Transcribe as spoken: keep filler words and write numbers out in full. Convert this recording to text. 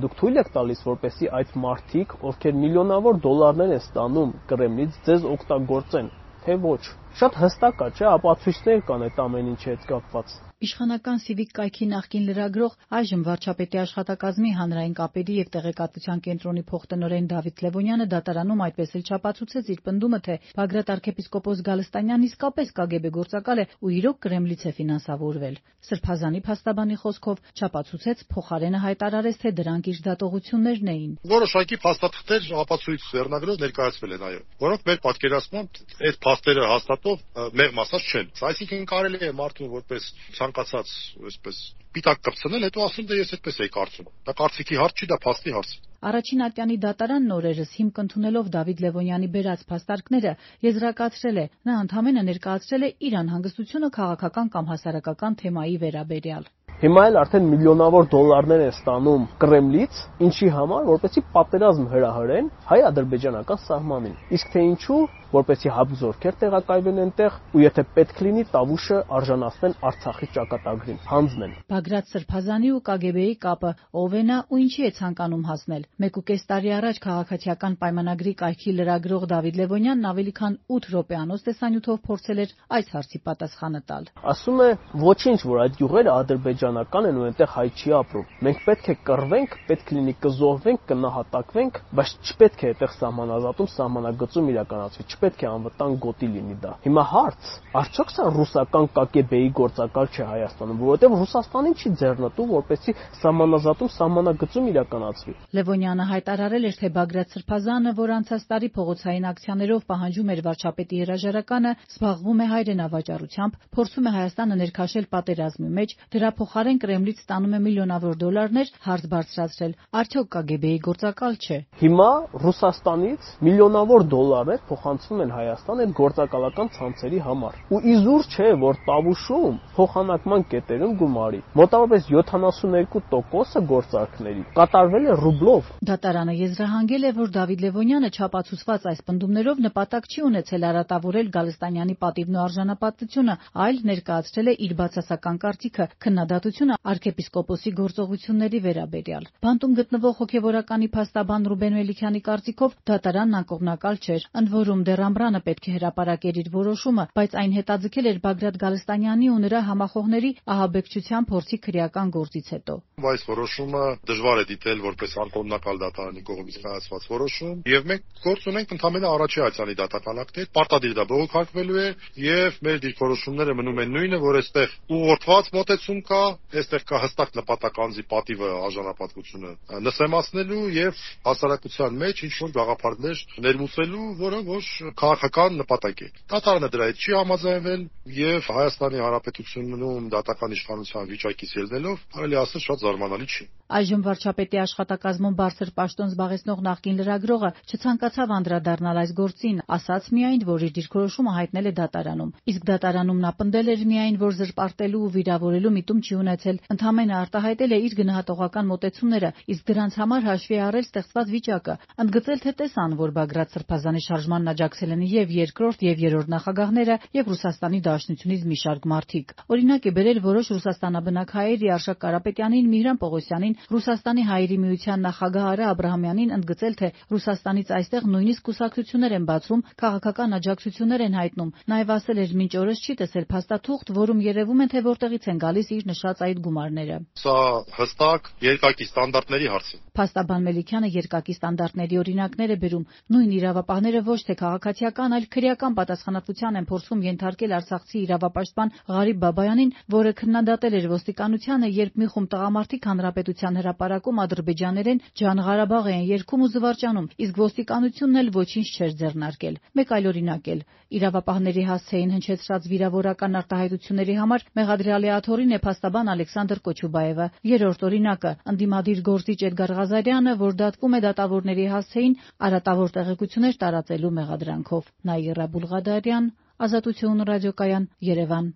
Դուք թույլ եք տալիս, որպեսզի այդ մարդիկ, ովքեր միլիոնավոր դոլարներ են ստանում Կրեմլից, ձեզ օգտագործեն, թե ոչ։ Շատ հստակ է, չէ՞, ապացույցներ կան այդ ամեն ինչի հետ կապված։ Իշխանական Սիվիկ կայքի նախկին լրագրող, այժմ վարչապետի աշխատակազմի հանրային կապերի և տեղեկատվության կենտրոնի փոխտնօրեն Դավիթ Լևոնյանը դատարանում այդպես էլ չապացուցեց իր պնդումը, թե Բագրատ arczepiskopos Գալստանյանն իսկապես Կ Գ B գործակալ է ու իրոք Կրեմլից է ֆինանսավորվել։ Սրբազանի փաստաբանի խոսքով չապացուցեց, փոխարենը հայտարարեց, թե դրանք իր դատողություններն էին։ Որոշակի փաստաթղթեր ապացույց վերնագրով ներկայացվել են, այո, որոնք մեր պատկերացմամբ այդ փաստերը հաստատող մեղմ ասած չեն։ Այսինքն կարելի է մարդուն որպես ցանկացած այսպես պիտակ կպցնել, հետո ասում դե ես այդպես էի կարծում։ Դա կարծիքի հարց չի, դա փաստի հարց է։ Առաջին ատյանի դատարանն օրերս հիմք ընդունելով Դավիթ Լևոնյանի բերած փաստարկները եզրակացրել է, նա ընդհանրապես ներկայացրել է իր անհանգստությունը քաղաքական կամ հասարակական թեմայի վերաբերյալ։ Հիմա էլ արդեն միլիոնավոր դոլարներ են ստանում Կրեմլից, ինչի համար, որպեսզի պատերազմ հրահրեն հայ-ադրբեջանական սահմանին։ Իսկ թե ինչու, որպեսզի հապ զորքեր տեղակայվեն այնտեղ ու եթե պետք լինի Տավուշը արժանացնեն Արցախի ճակատագրին, հանձնեն։ Բագրատ Սրբազանի ու Կ Գ B-ի կապը ով է նա ու ինչի է ցանկանում հասնել։ Մեկ ու կես տարի առաջ քաղաքացիական պայմանագրի կայքի լրագրող Դավիթ Լևոնյանն ավելի քան ութ րոպեանոց տեսանյութով փորձել էր այս հարցի պատասխանը տալ։ Ասում է ոչինչ, որ այդ յուղերը ադրբեջանական են ու այնտեղ հայ չի ապրում։ Մենք պետք է կռվենք, պետք լինի կզոհվենք, կնահատակվենք, բայց չպետք է այդտեղ սահմանազատում, սահմանագծում իրականացվի, չպետք է անվտանգ գոտի լինի դա։ Հիմա հարց, արդյոք սա ռուսական Կ Գ B-ի գործակալ չէ Հայաստանում, որովհետև Ռուսաստանին չի ձեռնտու, որպեսզի սահմանազատում, սահմանագծում իրականացվի։ Լևոնյանը հայտարարել էր, թե Բագրատ Սրբազանը, որ անցած տարի փողոցային ակցիաներով պահանջում էր վարչապետի հրաժարականը, զբաղվում է հայրենավաճառությամբ, փորձում է Հայաստանը ներքաշել պատերազմի մեջ, դրա փոխարեն Կրեմլից ստանում է միլիոնավոր դոլարներ, հարց բարձրացրել, արդյոք Կ Գ B-ի գործակալ չէ։ Հիմա Ռուսաստանից միլիոնավոր դոլարներ փոխանցվում են Հայաստան այդ գործակալական ցանցերի համար։ Ու իզուր չէ, որ Տավուշում փոխանակման կետերում գումարի մոտավորապես յոթանասունհինգ տոկոսը գործարքների կատարվել է ռուբլով։ Դատարանը եզրահանգել է, որ Դավիթ Լևոնյանը չապացուցված այս պնդումներով նպատակ չի ունեցել արատավորել Գալստանյանի պատիվն ու արժանապատվությունը, այլ ներկայացրել է իր բացասական կարծիքը քննադատությունը arczepiskopos-ի գործողությունների վերաբերյալ։ Բանտում գտնվող հոգևորականի փաստաբան Ռուբեն Մելիքյանի կարծիքով դատարանն անկողմնակալ չէր, ընդ որում դեռ ամռանը պետք է հրապարակեր իր որոշումը, բայց այն հետաձգել էր Բագրատ Գալստանյանի ու նրա համախոհների ահաբեկչության փորձի քրեական գործից հետո։ Այս որոշումը դժվար է դիտել որպես անկողմնակալ դատարանի կողմից կայացված որոշում, եւ մենք գործ ունենք ընդհանրապես առաջի այցանի դատական ակտեր, պարտադիր դա բողոքարկվելու է եւ մեր դիրքորոշումները մնում են նույնը, որ այստեղ ուղղորդված մոտեցում կա, այստեղ կա հստակ նպատակ անձի պատիվը արժանապատվությունը նսեմացնելու եւ հասարակության մեջ ինչ որ գաղափարներ ներմուծելու, որը ոչ քաղաքական նպատակ է։ Դատարանը դրա հետ չի համաձայնվել եւ Հայաստանի Հանրապետությունում դատական իշխանության վիճակից ելնելով, կարելի ասել շատ զարմանալի չի։ Այժմ վարչապետի աշխատակազմում բարձր պաշտոն զբաղեցնող նախկին լրագրողը չցանկացավ անդրադառնալ այս գործին, ասաց միայն, որ իր դիրքորոշումը հայտնել է դատարանում։ Իսկ դատարանում նա պնդել էր միայն, որ զրպարտելու ու վիրավորելու միտում չի ունեցել, ընդհանրապես արտահայտել է իր գնահատողական մոտեցումները, իսկ դրանց համար հաշվի է առել ստեղծված վիճակը, ընդգծել, թե տեսան, որ Բագրատ Սրբազանի շարժմանն աջակցել են եւ երկրորդ եւ երրորդ նախագահները եւ Ռուսաստանի Դաշնությունից մի շարք մարդիկ։ Օրինակ է բերել որոշ ռուսաստանաբնակ հայերի Արշակ Կարապետյանին, Միհրան Պողոսյանին, Ռուսաստանի Հայերի միության նախագահ Արա Աբրահամյանին, ընդգծել, թե Ռուսաստանից այստեղ նույնիսկ կուսակցություններ են բացվում, քաղաքական աջակցություններ են հայտնում։ Նաեւ ասել էր մինչ օրս չի տեսել փաստաթուղթ, որում երևում է, թե որտեղից են գալիս իր նշած այդ գումարները։ Սա հստակ երկակի ստանդարտների հարց է։ Փաստաբան Մելիքյանը երկակի ստանդարտների օրինակներ է բերում։ Նույն իրավապահները ոչ թե քաղաքացիական, այլ քրեական պատասխանատվության են փորձում ենթարկել արցախցի իրավապաշտպան Ղարիբ Բաբայանին, որը քննադատել էր ոստիկանությանը, երբ մի խումբ տղամարդիկ հանրապետության հրապարակում ադրբեջաներեն Ջան Ղարաբաղ են երգում ու զվարճանում, իսկ ոստիկանությունն էլ ոչինչ չէր ձեռնարկել։ Մեկ այլ օրինակ էլ իրավապահների հասցեին հնչեցրած վիրավորական արտահայտությունների համար մեղադրյալի աթոռին է փաստաբան Ալեքսանդր Կոչուբաևը։ Երրորդ օրինակը ընդդիմադիր գործիչ Էդգար Ղազարյանը, որ դատվում է դատավորների հասցեին արատավոր տեղեկություններ տարածելու մեղադրանքով։ Նաիրա Բուլղադարյան, Ազատություն ռադիոկայան, Երևան։